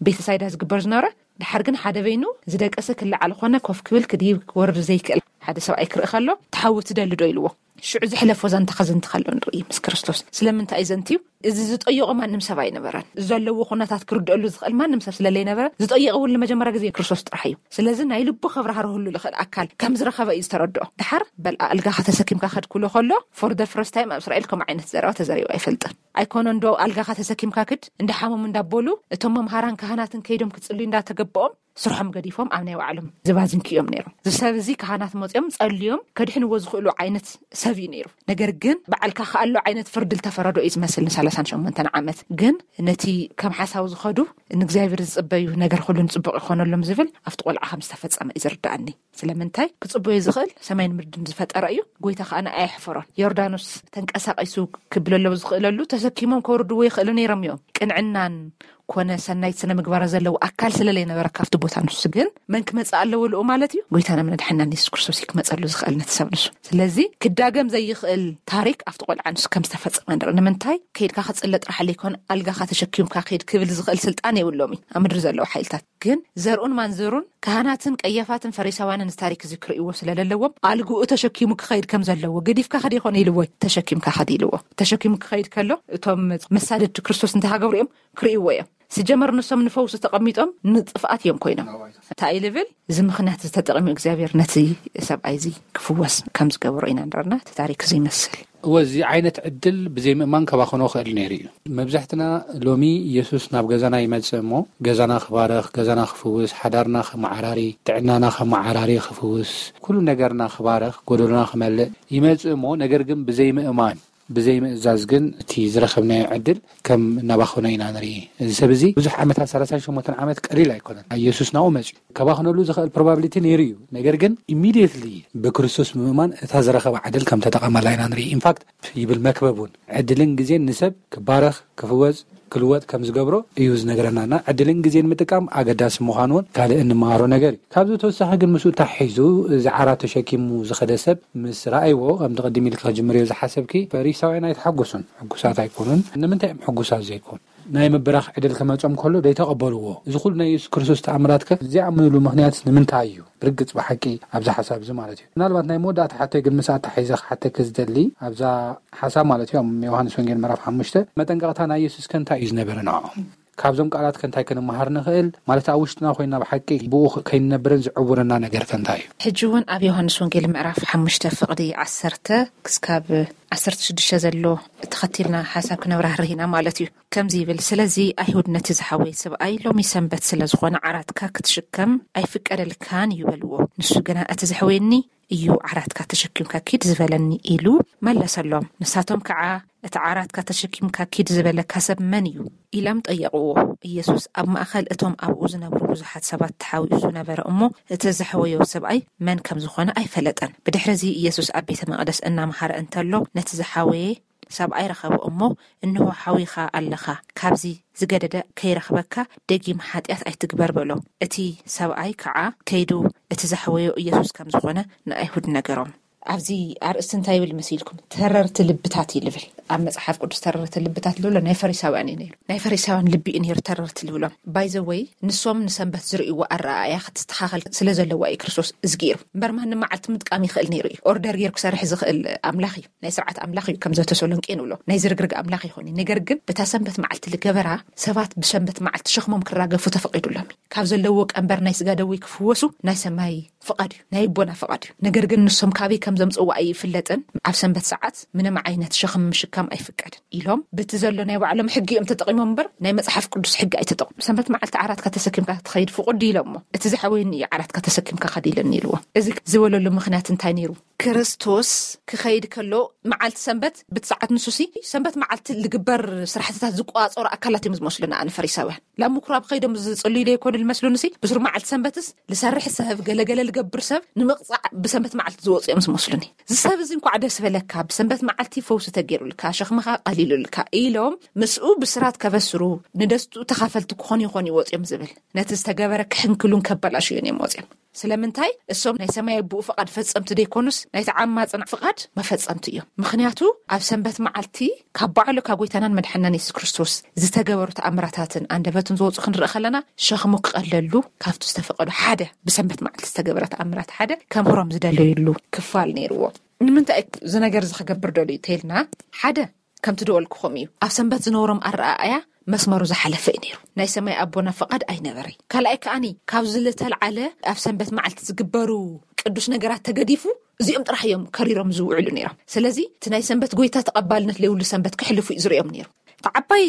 ቤተሳይዳ ዝግበር ዝነበረ። ድሓር ግን ሓደ በይኑ ዝደቀሰ ክለዓል ኾነ ኮፍ ክብል ክድይብ ክወርድ ዘይክእል ሓደ ሰብኣይ ክርኢ ከሎ፣ "ትሓዊ ትደሊ ዶ?" ኢልዎ። ሽዑ ዝሕለፎ ዛንታ ከዘንትኻ ኣሎ ንርኢ ምስ ክርስቶስ። ስለምንታይ እዩ ዘንትዩ? እዚ ዝጠየቖ ማንም ሰብ ኣይነበረን። ዘለዎ ኩነታት ክርድአሉ ዝኽእል ማንም ሰብ ስለለይነበረ፣ ዝጠየቐ እውን ንመጀመርያ ግዜ ክርስቶስ ጥራሕ እዩ። ስለዚ ናይ ልቡ ከብራህርህሉ ዝኽእል ኣካል ከም ዝረኸበ እዩ ዝተረድኦ። ድሓር በል ኣልጋኻ ተሰኪምካ ከድ ክብሎ ከሎ፣ for the first time ኣብ እስራኤል ከምኡ ዓይነት ዘረባ ተዘሪቡ ኣይፈልጥን። ኣይኮነ እንዶ ኣልጋኻ ተሰኪምካ ክድ፣ እንዳሓመሙ እንዳበሉ እቶም መምሃራን ካህናትን ከይዶም ክጽልዩ እንዳተገበኦም ስርሖም ገዲፎም ኣብ ናይ ባዕሎም ዝባዝንኪ እዮም ነይሮም። እዚ ሰብ እዚ ካህናት መፅኦም ጸልዮም ከድሕንዎ ዝኽእሉ ዓይነት ሰብ እዩ ነይሩ። ነገር ግን በዓልካ ከኣሎ ዓይነት ፍርዲ ዝተፈረዶ እዩ ዝመስል ንሰላሳን ሸሞንተን ዓመት። ግን ነቲ ከም ሓሳዊ ዝኸዱ ንእግዚኣብሔር ዝጽበዩ ነገር ኩሉ ንጽቡቕ ይኾነሎም ዝብል ኣብቲ ቆልዓ ከም ዝተፈጸመ እዩ ዝርዳኣኒ። ስለምንታይ ክጽበዮ ዝኽእል ሰማይን ምድርን ዝፈጠረ እዩ። ጎይታ ከኣ ንኣይ ኣየሕፈሮን። ዮርዳኖስ ተንቀሳቒሱ ክብለሎ ዝኽእለሉ ተሰኪሞም ከውርድዎ ይኽእሉ ነይሮም እዮም። ቅንዕናን ኮነ ሰናይት ስነ ምግባር ዘለዎ ኣካል ስለለይነበረ ካብቲ ቦታ ንሱ ግን መን ክመጽእ ኣለዎ ልኡ ማለት እዩ? ጎይታና መድሓናን የሱስ ክርስቶስ እዩ ክመጸሉ ዝኽእል ነቲ ሰብ ንሱ። ስለዚ ክዳገም ዘይኽእል ታሪክ ኣብቲ ቆልዓ ንሱ ከም ዝተፈጸመ ንርኢ። ንምንታይ ከይድካ ክጽለ ጥራሕ ለይኮነ ኣልጋኻ ተሸኪምካ ከይድ ክብል ዝኽእል ስልጣን የብሎም እዩ ኣብ ምድሪ ዘለዉ ሓይልታት። ግን ዘርኡን ማንዘሩን ካህናትን ቀያፋትን ፈሪሳውያንን እዚ ታሪክ እዚ ክርእይዎ ስለ ዘለዎም ኣልግኡ ተሸኪሙ ክኸይድ ከም ዘለዎ ገዲፍካ ከዲ ይኾነ ኢልዎ ተሸኪምካ ከዲ ኢልዎ። ተሸኪሙ ክኸይድ ከሎ እቶም መሳደድቲ ክርስቶስ እንታይ ሃገብሩ እዮም ክርእይዎ እዮም። ስጀመር ንሶም ንፈውሲ ተቐሚጦም ንጥፍኣት እዮም ኮይኖም። እንታይ ልብል እዚ ምኽንያት ዝተጠቕሚ እግዚኣብሔር ነቲ ሰብኣይ እዚ ክፍወስ ከም ዝገበሮ ኢና ንረና እቲ ታሪክ እዚ ይመስል። እወ፣ እዚ ዓይነት ዕድል ብዘይ ምእማን ከባኸኖ ክእል ነይሩ እዩ። መብዛሕትና ሎሚ ኢየሱስ ናብ ገዛና ይመጽእ እሞ ገዛና ክባረኽ፣ ገዛና ክፍውስ፣ ሓዳርና ከመዓራሪ፣ ጥዕናና ከመዓራሪ፣ ክፍውስ፣ ኩሉ ነገርና ክባረኽ፣ ጎደሎና ክመልእ ይመጽእ እሞ ነገር ግን ብዘይ ምእማን፣ ብዘይ ምእዛዝ ግን እቲ ዝረኸብናዮ ዕድል ከም እናባኸኖ ኢና ንርኢ። እዚ ሰብ እዚ ብዙሕ ዓመታት ሰላሳን ሸሞንተን ዓመት ቀሊል ኣይኮነን። ኢየሱስ ናብኡ መጽዩ ከባኽነሉ ዝኽእል ፕሮባብሊቲ ነይሩ እዩ። ነገር ግን ኢሚድየትሊ ብክርስቶስ ምእማን እታ ዝረኸባ ዕድል ከም ተጠቐመላ ኢና ንርኢ። ኢንፋክት ይብል መክበብ እውን ዕድልን ግዜን ንሰብ ክባረኽ፣ ክፍወስ፣ ክልወጥ ከም ዝገብሮ እዩ ዝነግረናና። ዕድልን ግዜን ምጥቃም ኣገዳሲ ምዃኑ እውን ካልእ እንመሃሮ ነገር እዩ። ካብዚ ተወሳኺ ግን ምስኡ ተሓሒዙ እዚ ዓራት ተሸኪሙ ዝኸደ ሰብ ምስ ረኣይዎ፣ ከምቲ ቅድም ኢልኪ ክጅምርዮ ዝሓሰብኪ፣ ፈሪሳውያን ኣይተሓጎሱን፣ ሕጉሳት ኣይኮኑን። ንምንታይ እዮም ሕጉሳት ዘይኮኑ? ናይ ምብራኽ ዕድል ክመጾም ከሎ ዘይተቐበልዎ። እዚ ኩሉ ናይ የሱስ ክርስቶስ ተኣምራት ከ ዘይኣምንሉ ምኽንያት ንምንታይ እዩ? ብርግጽ ብሓቂ ኣብዚ ሓሳብ እዚ ማለት እዩ። ምናልባት ናይ መወዳእታ ሓተይ ግን ምስ ኣተሓሒዘ ክሓተኪ ዝደሊ ኣብዛ ሓሳብ ማለት እዩ፣ ኣብ ዮሃንስ ወንጌል ምዕራፍ ሓሙሽተ መጠንቀቕታ ናይ የሱስ ከ እንታይ እዩ ዝነበረ ንዕኦም? ካብዞም ቃላት ከ እንታይ ክንመሃር ንኽእል? ማለት ኣብ ውሽጥና ኮይና ብሓቂ ብኡ ከይንነብርን ዝዕውረና ነገር ከ እንታይ እዩ? ሕጂ እውን ኣብ ዮሃንስ ወንጌል ምዕራፍ ሓሙሽተ ፍቕዲ ዓሰርተ ክስካብ ዓሰርተ ሽዱሽተ ዘሎ ተኸቲልና ሓሳብ ክነብራህርህ ኢና ማለት እዩ። ከምዚ ይብል፣ ስለዚ ኣይሁድ ነቲ ዝሓወየ ሰብኣይ ሎሚ ሰንበት ስለ ዝኾነ ዓራትካ ክትሽከም ኣይፍቀደልካን እዩ በልዎ። ንሱ ግና እቲ ዘሕወየኒ እዩ ዓራትካ ተሸኪምካ ኪድ ዝበለኒ ኢሉ መለሰሎም። ንሳቶም ከዓ እቲ ዓራትካ ተሸኪምካ ኪድ ዝበለካ ሰብ መን እዩ ኢሎም ጠየቕዎ። ኢየሱስ ኣብ ማእኸል እቶም ኣብኡ ዝነብሩ ብዙሓት ሰባት ተሓዊሱ ነበረ እሞ እቲ ዘሕወዮ ሰብኣይ መን ከም ዝኾነ ኣይፈለጠን። ብድሕርዚ ኢየሱስ ኣብ ቤተ መቕደስ እናመሃረ እንተሎ ነቲ ዝሓወየ ሰብኣይ ረኸቦ እሞ፣ እንሆ ሓዊኻ ኣለኻ፣ ካብዚ ዝገደደ ከይረኽበካ ደጊም ሓጢኣት ኣይትግበር በሎ። እቲ ሰብኣይ ከዓ ከይዱ እቲ ዘሕወዮ ኢየሱስ ከም ዝኾነ ንኣይሁድ ነገሮም። ኣብዚ ኣርእስቲ እንታይ ይብል መሲልኩም? ተረርቲ ልብታት እዩ ልብል። ኣብ መጽሓፍ ቅዱስ ተረርቲ ልብታት ልብሎ ናይ ፈሪሳውያን እዩ ነይሩ። ናይ ፈሪሳውያን ልቢ እዩ ነይሩ ተረርቲ ልብሎም። ባይዘወይ ንሶም ንሰንበት ዝርእይዎ ኣረኣእያ ክትስተኻኸል ስለ ዘለዋ እዩ ክርስቶስ እዚ ገይሩ። እምበር ማንም መዓልቲ ምጥቃም ይኽእል ነይሩ እዩ። ኦርደር ገይሩ ክሰርሕ ዝኽእል ኣምላኽ እዩ። ናይ ስርዓት ኣምላኽ እዩ። ከምዚ ተሰሎንቄ ንብሎ ናይ ዝርግርግ ኣምላኽ ይኾን እዩ። ነገር ግን በታ ሰንበት መዓልቲ ልገበራ ሰባት ብሰንበት መዓልቲ ሸኽሞም ክራገፉ ተፈቒዱሎም እዩ። ካብ ዘለዎ ቀንበር ናይ ስጋ ደዌ ክፍወሱ ናይ ሰማይ ፍቓድ እዩ፣ ናይ ኣቦና ፍቓድ እዩ። ነገር ግን ንሶም ካበይ ከም ዘምጽዋ ኣይፍለጥን። ኣብ ሰንበት ሰዓት ምንም ዓይነት ሸኽም ምሽካም ኣይፍቀድን ኢሎም በቲ ዘሎ ናይ ባዕሎም ሕጊ እዮም ተጠቒሞም እምበር ናይ መጽሓፍ ቅዱስ ሕጊ ኣይተጠቕሙ። ሰንበት መዓልቲ ዓራትካ ተሰኪምካ ትኸይድ ፍቑድ ኢሎሞ። እቲ ዝሓወየኒ እዩ ዓራትካ ተሰኪምካ ከድ ኢለኒ ኢልዎ። እዚ ዝበለሉ ምኽንያት እንታይ ነይሩ? ክርስቶስ ክኸይድ ከሎ መዓልቲ ሰንበት ብቲ ሰዓት ንሱሲ ሰንበት መዓልቲ ዝግበር ስራሕትታት ዝቋጸሩ ኣካላት እዮም ዝመስሉና ኣነ ፈሪሳውያን። ላብ ምኩራብ ከይዶም ዝጽልዩ ዘይኮኑ ዝመስሉኒ ሲ ብሱር መዓልቲ ሰንበትስ ዝሰርሕ ሰብ ገለገለ ዝገብር ሰብ ንምቕጻዕ ብሰንበት መዓልቲ ዝወፁ እዮም ዝመስሉኒ። እዚ ሰብ እዚ እንኳዕ ደስ በለካ ብሰንበት መዓልቲ ፈውሲ ተገይሩልካ ሸኽምኻ ቀሊሉልካ ኢሎም ምስኡ ብስራት ከበስሩ ንደስትኡ ተኻፈልቲ ክኾኑ ይኾኑ ይወፅዮም ዝብል ነቲ ዝተገበረ ክሕንክሉን ከበላሽዩን እዮም ወፅዮም። ስለምንታይ እሶም ናይ ሰማይ ኣቦኡ ፍቓድ ፈጸምቲ ደይኮኑስ ናይ ተዓማጽን ፍቓድ መፈጸምቲ እዮም። ምኽንያቱ ኣብ ሰንበት መዓልቲ ካብ ባዕሉ ካብ ጎይታናን መድሓናን የሱስ ክርስቶስ ዝተገበሩ ተኣምራታትን ኣንደበቱን ዝወፁ ክንርኢ ከለና ሸኽሙ ክቐለሉ ካብቲ ዝተፈቐዱ ሓደ ብሰንበት መዓልቲ ዝተገበረ ተኣምራት ሓደ ከምህሮም ዝደለዩሉ ክፋል ነይርዎ። ንምንታይ እዚ ነገር እዚ ክገብር ደልዩ ተይልና፣ ሓደ ከምቲ ደወልኩኹም እዩ። ኣብ ሰንበት ዝነበሮም ኣረኣእያ መስመሩ ዝሓለፈ እዩ ነይሩ። ናይ ሰማይ ኣቦና ፍቓድ ኣይነበረይ። ካልኣይ ከኣኒ ካብዚ ዝተልዓለ ኣብ ሰንበት መዓልቲ ዝግበሩ ቅዱስ ነገራት ተገዲፉ እዚኦም ጥራሕ እዮም ከሪሮም ዝውዕሉ ነይሮም። ስለዚ እቲ ናይ ሰንበት ጎይታ ተቐባልነት ለይብሉ ሰንበት ክሕልፉ እዩ ዝርእዮም ነይሩ። እቲ ዓባይ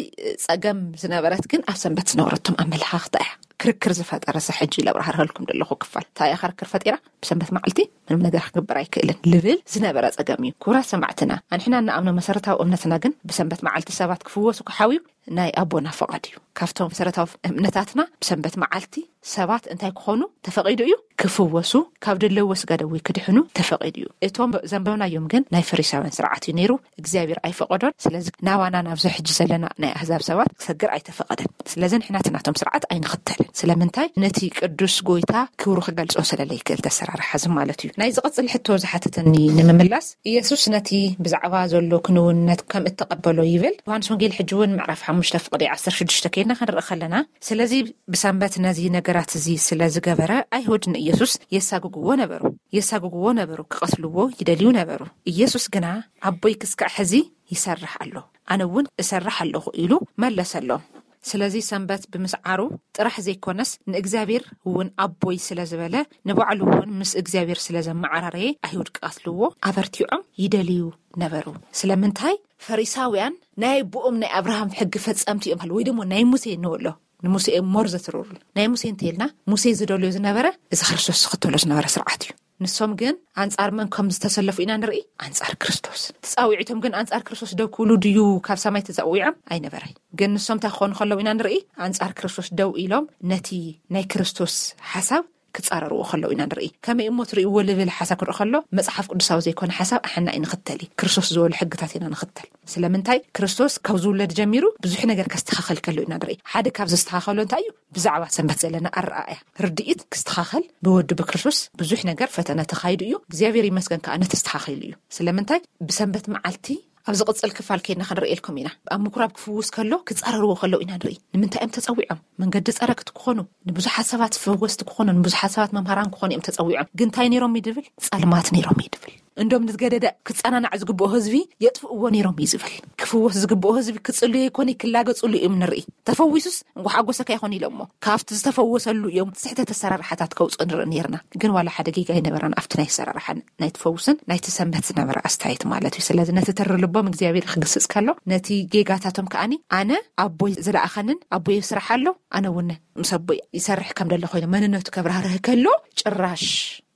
ጸገም ዝነበረት ግን ኣብ ሰንበት ዝነበረቶም ኣመለኻኽታ እያ። ክርክር ዝፈጠረ ሰ ሕጂ ለብራህርሀልኩም ዘለኹ ክፋል እንታይ እያ ክርክር ፈጢራ? ብሰንበት መዓልቲ ምንም ነገር ክግበር ኣይክእልን ልብል ዝነበረ ጸገም እዩ። ክቡራት ሰማዕትና፣ ኣንሕና እንኣምኖ መሰረታዊ እምነትና ግን ብሰንበት መዓልቲ ሰባት ክፍወሱ ክሓውዩ ናይ ኣቦና ፈቓድ እዩ። ካብቶም መሰረታዊ እምነታትና ብሰንበት መዓልቲ ሰባት እንታይ ክኾኑ ተፈቒዱ እዩ? ክፍወሱ፣ ካብ ደለዎ ስጋ ደዌ ክድሕኑ ተፈቒዱ እዩ። እቶም ዘንበብናዮም ግን ናይ ፈሪሳውያን ስርዓት እዩ ነይሩ። እግዚኣብሔር ኣይፈቐዶን። ስለዚ ናባና ናብዚ ሕጂ ዘለና ናይ ኣህዛብ ሰባት ክሰግር ኣይተፈቐደን። ስለዚ ንሕና እቲ ናቶም ስርዓት ኣይንኽተልን። ስለምንታይ? ነቲ ቅዱስ ጎይታ ክብሩ ክገልጾ ስለለይክእል ተሰራርሓ እዚ ማለት እዩ። ናይ ዝቕጽል ሕቶ ዝሓተተኒ ንምምላስ፣ ኢየሱስ ነቲ ብዛዕባ ዘሎ ክንውነት ከም እተቐበሎ ይብል። ዮሃንስ ወንጌል ሕጂ እውን ምዕራፍ ሓሙሽተ ፍቕዲ ዓሰርተ ሽዱሽተ ከይድና ክንርኢ ከለና፣ ስለዚ ብሰንበት ነዚ ነገራት እዚ ስለ ዝገበረ ኣይሁድ ንኢየሱስ የሳግግዎ ነበሩ። የሳግግዎ ነበሩ፣ ክቐትልዎ ይደልዩ ነበሩ። ኢየሱስ ግና ኣቦይ ክስካዕ ሕዚ ይሰርሕ ኣሎ፣ ኣነ እውን እሰርሕ ኣለኹ ኢሉ መለሰሎም። ስለዚ ሰንበት ብምስዓሩ ጥራሕ ዘይኮነስ ንእግዚኣብሔር እውን ኣቦይ ስለ ዝበለ ንባዕሉ እውን ምስ እግዚኣብሔር ስለ ዘመዓራረየ ኣይሁድ ክቐትልዎ ኣበርቲዖም ይደልዩ ነበሩ። ስለምንታይ? ፈሪሳውያን ናይ ኣቦኦም ናይ ኣብርሃም ሕጊ ፈጸምቲ እዮም ወይ ደሞ ናይ ሙሴ ንበሎ ንሙሴ እዮም ሞር ዘትርሩሉ። ናይ ሙሴ እንተይልና ሙሴ ዝደልዮ ዝነበረ እዚ ክርስቶስ ዝኽተሎ ዝነበረ ስርዓት እዩ። ንሶም ግን ኣንጻር መን ከም ዝተሰለፉ ኢና ንርኢ? ኣንጻር ክርስቶስ። ተጻዊዒቶም ግን ኣንጻር ክርስቶስ ደው ክብሉ ድዩ ካብ ሰማይ ተጸዊዖም? ኣይነበረይ። ግን ንሶም እንታይ ክኾኑ ከለዉ ኢና ንርኢ? ኣንጻር ክርስቶስ ደው ኢሎም ነቲ ናይ ክርስቶስ ሓሳብ ክጻረርዎ ከለዉ ኢና ንርኢ። ከመይ እሞ ትርእይዎ ልብል ሓሳብ ክርኢ ከሎ መጽሓፍ ቅዱሳዊ ዘይኮነ ሓሳብ ኣሕና ኣይንኽተል እዩ። ክርስቶስ ዝበሉ ሕግታት ኢና ንኽተል። ስለምንታይ? ክርስቶስ ካብ ዝውለድ ጀሚሩ ብዙሕ ነገር ከስተኻኸል ከሎ ኢና ንርኢ። ሓደ ካብ ዘስተኻኸሎ እንታይ እዩ? ብዛዕባ ሰንበት ዘለና ኣረኣእያ ርድኢት ክስተኻኸል ብወዱ ብክርስቶስ ብዙሕ ነገር ፈተነ ተኻይዱ እዩ። እግዚኣብሔር ይመስገን ከኣ ነተስተኻኺሉ እዩ። ስለምንታይ? ብሰንበት መዓልቲ ኣብ ዝቕጽል ክፋል ከይድና ክንርእየልኩም ኢና። ኣብ ምኩራብ ክፍውስ ከሎ ክጻረርዎ ከለዉ ኢና ንርኢ። ንምንታይ እዮም ተጸዊዖም? መንገዲ ጸረግቲ ክኾኑ፣ ንብዙሓት ሰባት ፈወስቲ ክኾኑ፣ ንብዙሓት ሰባት መምሃራን ክኾኑ እዮም ተጸዊዖም። ግን እንታይ ነይሮም እዩ ድብል? ጸልማት ነይሮም እዩ ድብል። እንዶም ንዝገደደ ክጸናናዕ ዝግብኦ ህዝቢ የጥፍእዎ ነይሮም እዩ ዝብል። ክፍወስ ዝግብኦ ህዝቢ ክጽልዩ ይኮን ክላገጽሉ እዮም ንርኢ። ተፈዊሱስ እንኳ ሓጎሰካ ይኾን ኢሎሞ ካብቲ ዝተፈወሰሉ እዮም ስሕተት ኣሰራርሓታት ከውፅኡ ንርኢ ነርና። ግን ዋላ ሓደ ጌጋ ኣይነበራን ኣብቲ ናይ ኣሰራርሓ ናይ ትፈውስን ናይ ትሰንበት ዝነበረ ኣስተያየት ማለት እዩ። ስለዚ ነቲ ተሪ ልቦም እግዚኣብሔር ክግስጽ ከሎ ነቲ ጌጋታቶም ከኣኒ ኣነ ኣቦይ ዝለኣኸንን ኣቦይ ስራሕ ኣሎ ኣነ እውን ምስ ኣቦይ ይሰርሕ ከም ደለ ኮይኖም መንነቱ ከብራህርህ ከሎ ጭራሽ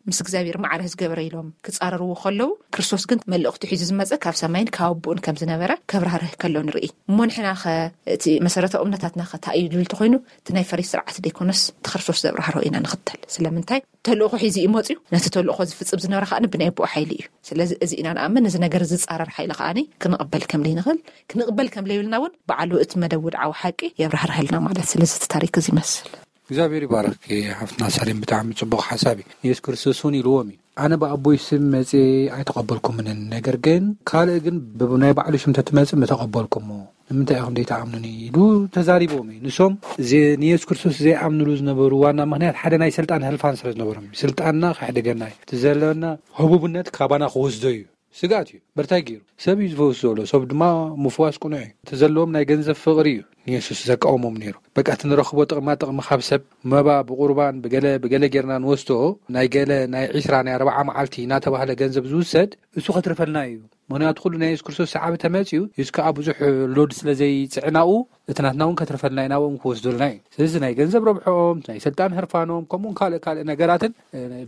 ምስ እግዚኣብሔር ማዕረ ዝገበረ ኢሎም ክጻረርዎ ከለዉ ክርስቶስ ግን መልእኽቱ ሒዙ ዝመጸ ካብ ሰማይን ካብ ኣቦኡን ከም ዝነበረ ከብራህርህ ከሎ ንርኢ። እሞ ንሕና ኸ እቲ መሰረታዊ እምነታትና ኸ እንታይ እዩ ዝብል ተኾይኑ እቲ ናይ ፈሪስ ስርዓት ደይኮነስ እቲ ክርስቶስ ዘብራህሮ ኢና ንኽተል። ስለምንታይ ተልእኾ ሒዙ እዩ መፅዩ። ነቲ ተልእኾ ዝፍጽም ዝነበረ ከኣ ብናይ ኣቦኡ ሓይሊ እዩ። ስለዚ እዚ ኢና ንኣምን። እዚ ነገር ዝጻረር ሓይሊ ከኣ ክንቕበል ከም ዘይንኽእል ክንቕበል ከም ዘይብልና እውን በዓሉ እቲ መደብ ውድዓዊ ሓቂ የብራህርሃልና ማለት። ስለዚ እቲ ታሪክ እዚ ይመስል። እግዚኣብሔር ይባረክ። ሓፍትና ሳሌም ብጣዕሚ ፅቡቅ ሓሳብ እዩ። ንየሱስ ክርስቶስ እውን ኢልዎም እዩ ኣነ ብኣቦይ ስም መፅየ ኣይተቐበልኩምንን ነገር ግን ካልእ ግን ናይ ባዕሉ ሽም ተትመፅእ ምተቐበልኩሞ ንምንታይ ኢኹም ዘይተኣምኑኒ ኢሉ ተዛሪቦም እዩ። ንሶም ንየሱስ ክርስቶስ ዘይኣምንሉ ዝነበሩ ዋና ምክንያት ሓደ ናይ ስልጣን ህልፋን ስለ ዝነበሮም እዩ። ስልጣንና ከሕድገና እዩ። እቲ ዘለና ህቡብነት ካባና ክወስዶ እዩ። ስግኣት እዩ። በርታይ ገይሩ ሰብ እዩ ዝፈውስ ዘሎ ሰብ ድማ ምፍዋስ ቅኑዕ እዩ። እቲ ዘለዎም ናይ ገንዘብ ፍቕሪ እዩ ንየሱስ ዘቃወሞም ነይሩ። በቃ እቲ ንረኽቦ ጥቕማ ጥቕሚ ካብ ሰብ መባ ብቁርባን ብገለ ብገለ ጌርና ንወስዶ ናይ ገለ ናይ ዒስራ ናይ ኣርባዓ መዓልቲ እናተባህለ ገንዘብ ዝውሰድ እሱ ከትርፈልና እዩ። ምክንያቱ ኩሉ ናይ የሱስ ክርስቶስ ሰዓቢ ተመፅዩ የሱስ ከዓ ብዙሕ ሎድ ስለ ዘይፅዕናኡ እቲ ናትና እውን ከትርፈልና እዩ ናብኦም ክወስዱልና እዩ። ስለዚ ናይ ገንዘብ ረብሖኦም ናይ ስልጣን ህርፋኖም ከምኡውን ካልእ ካልእ ነገራትን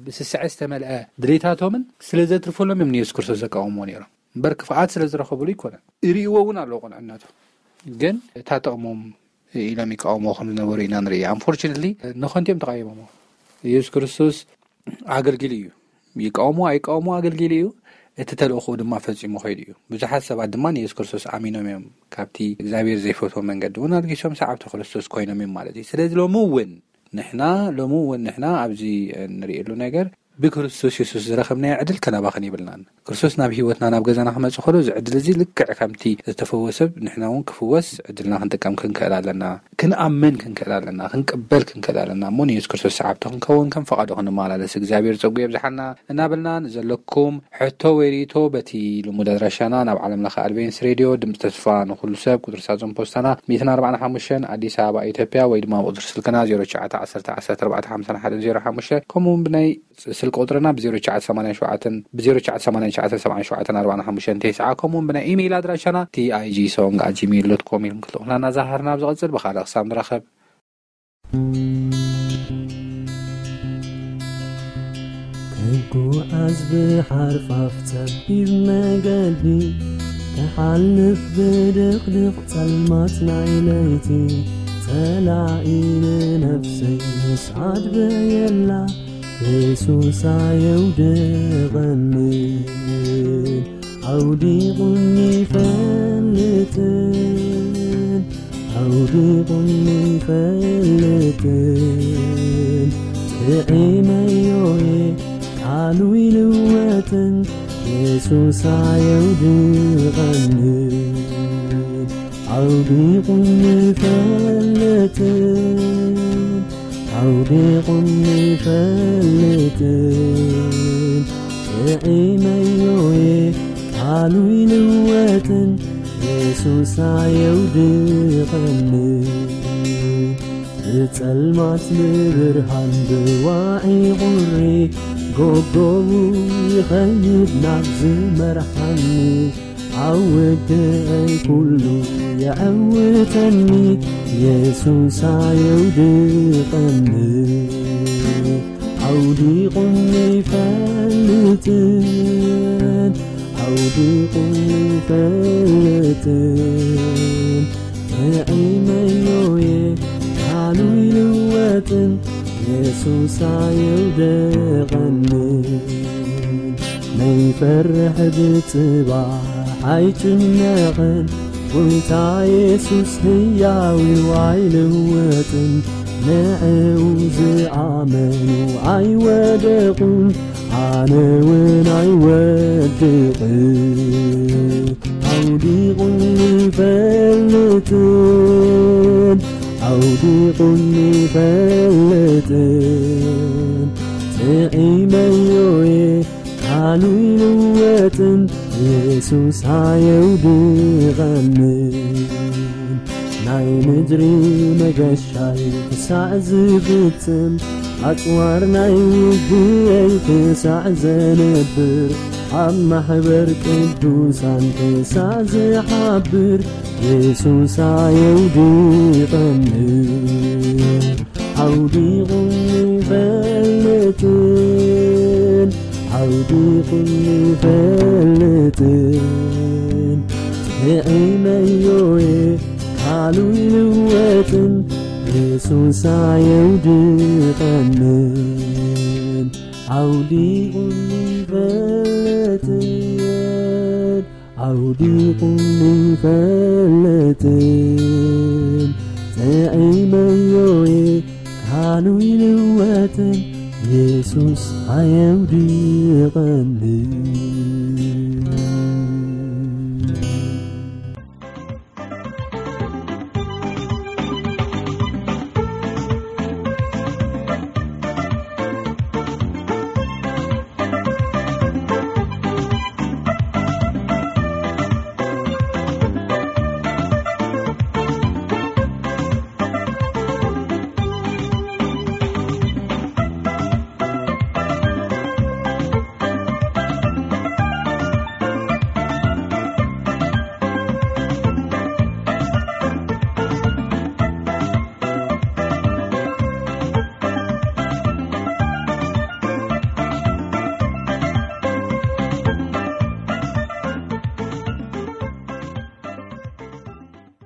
ብስስዐ ዝተመልአ ድሌታቶምን ስለ ዘትርፈሎም እዮም ንየሱስ ክርስቶስ ዘቃወምዎ ነይሮም። እምበር ክፍኣት ስለ ዝረኸብሉ ይኮነን። ይርእይዎ እውን ኣለዉ ቅንዕነቱ ግን እታ ጥቕሞም ኢሎም ይቃወምዎ ከም ዝነበሩ ኢና ንርኢ። ኣንፎርችነትሊ ንኸንቲኦም ተቃይሞሞ። ኢየሱስ ክርስቶስ ኣገልጊሉ እዩ። ይቃወሙ ኣይቃወሙ ኣገልጊሉ እዩ። እቲ ተልእኮኡ ድማ ፈጺሙ ከይዱ እዩ። ብዙሓት ሰባት ድማ ንየሱስ ክርስቶስ ኣሚኖም እዮም። ካብቲ እግዚኣብሔር ዘይፈትዎ መንገዲ እውን ኣልጊሶም ሰዓብቲ ክርስቶስ ኮይኖም እዮም ማለት እዩ። ስለዚ ሎሚ እውን ንሕና ሎሚ እውን ንሕና ኣብዚ ንርእየሉ ነገር ብክርስቶስ የሱስ ዝረኸብናዮ ዕድል ከናባኽን የብልናን። ክርስቶስ ናብ ህይወትና፣ ናብ ገዛና ክመጽእ ከሎ፣ እዚ ዕድል እዚ ልክዕ ከምቲ ዝተፈወሰ ንሕና እውን ክፍወስ ዕድልና ክንጥቀም ክንክእል ኣለና። ክንኣምን ክንክእል ኣለና። ክንቅበል ክንክእል ኣለና። እሞ ንየሱስ ክርስቶስ ሰዓብቲ ክንከውን፣ ከም ፈቓዱ ክንመላለስ እግዚኣብሔር ጸጉ የብዝሓልና እናበልና፣ ንዘለኩም ሕቶ ወይ ርእይቶ በቲ ልሙድ ኣድራሻና ናብ ዓለም ለኸ ኣድቬንስ ሬድዮ ድምፂ ተስፋ ንኹሉ ሰብ፣ ቁፅሪ ሳጥን ፖስታና ሚእትን ኣርባዓን ሓሙሽተን፣ ኣዲስ ኣበባ፣ ኢትዮጵያ፣ ወይ ድማ ቁፅሪ ስልክና ዜሮ ትሽዓተ ዓሰርተ ዓሰርተ ኣርባዕተ ሓምሳን ሓደን ዜሮ ሓሙሽተ፣ ከምኡ እውን ብናይ ስልኪ ቁፅርና ብ ዜሮ ትሽዓተ ሰማንያን ሸውዓተን፣ ብ ዜሮ ትሽዓተ ሰማንያን ትሽዓተ ሰብዓን ሸውዓተን ኣርባዓን ሓሙሽተን ተስዓ፣ ከምኡ እውን ብናይ ኢሜይል ኣድራሻና ቲ ኣይ ጂ ሶንግ ኣት ጂሜይል ዶት ኮም ኢልኩም ክትልእኹልና እናዛሃርና፣ ኣብ ዝቐፅል ብኻልእ ክሳብ ንራኸብ። ክጓዓዝ ብሓርፋፍ ጸቢብ መገዲ፣ ክሓልፍ ብድቕድቕ ጸልማት ናይ ለይቲ፣ ጸላኢ ንነፍሰይ ምስ ኣድበየላ፣ የሱስ ኣየውድቐንን፣ ኣውዲቑኒ ይፈልጥን፣ ኣውዲቑኒ ይፈልጥን፣ ጥዒመዮ'የ ቃሉ ይልወጥን፣ የሱስ ኣየውድቐንን፣ ኣውዲቑኒ ይፈልጥን፣ ኣውዲቑኒ ይፈልጥን፣ ጥዒመዮ'የ ቃሉ ይልወጥን፣ የሱስ ኣየውድቐንን። ብጸልማት ንብርሃን ብዋዒ ቁሪ፣ ጎጎቡ ይኸይድ ናብ ዝመርሓኒ፣ ኣብ ውግአይ ኩሉ የዐውተኒ፣ የሱስ ኣየውድቐኒ። ኣውዲቑኒ ይፈልጥን፣ ኣውዲቑኒ ይፈልጥን፣ ጥዒመዮ'የ ቃሉ ይልወጥን፣ የሱስ ኣየውደቐንን። ነይፈርሕ ብጽባሕ ኣይጭነቕን፣ ጎይታ የሱስ ህያው እዩ ኣይልወጥን። ንዕኡ ዝኣመኑ ኣይወደቑን፣ ኣነ እውን ኣይወድቕን። ኣውዲቑኒ ይፈልጥን፣ ኣውዲቑኒ ይፈልጥን፣ ጥዒመዮ'የ ቃሉ ይልወጥን፣ የሱስ ኣየውድቐንን። ናይ ምድሪ መገሻይ ክሳዕ ዝፍጽም፣ ኣጽዋር ናይ ውግእይ ክሳዕ ዘንብር፣ ኣብ ማሕበር ቅዱሳን ክሳዕ ዝሓብር፣ የሱስ ኣየውድቐንን። ኣውዲቑኒ ይፈልጥን፣ ኣውዲቑኒ ይፈልጥን፣ ጥዒመዮ'የ ቃሉ ይልወጥን፣ የሱስ ኣየውድቐንን። ኣውዲቑኒ ይፈልጥን፣ ኣውዲቑኒ ይፈልጥን፣ ጥዒመዮ'የ ቃሉ ይልወጥን፣ የሱስ ኣየውድቐንን።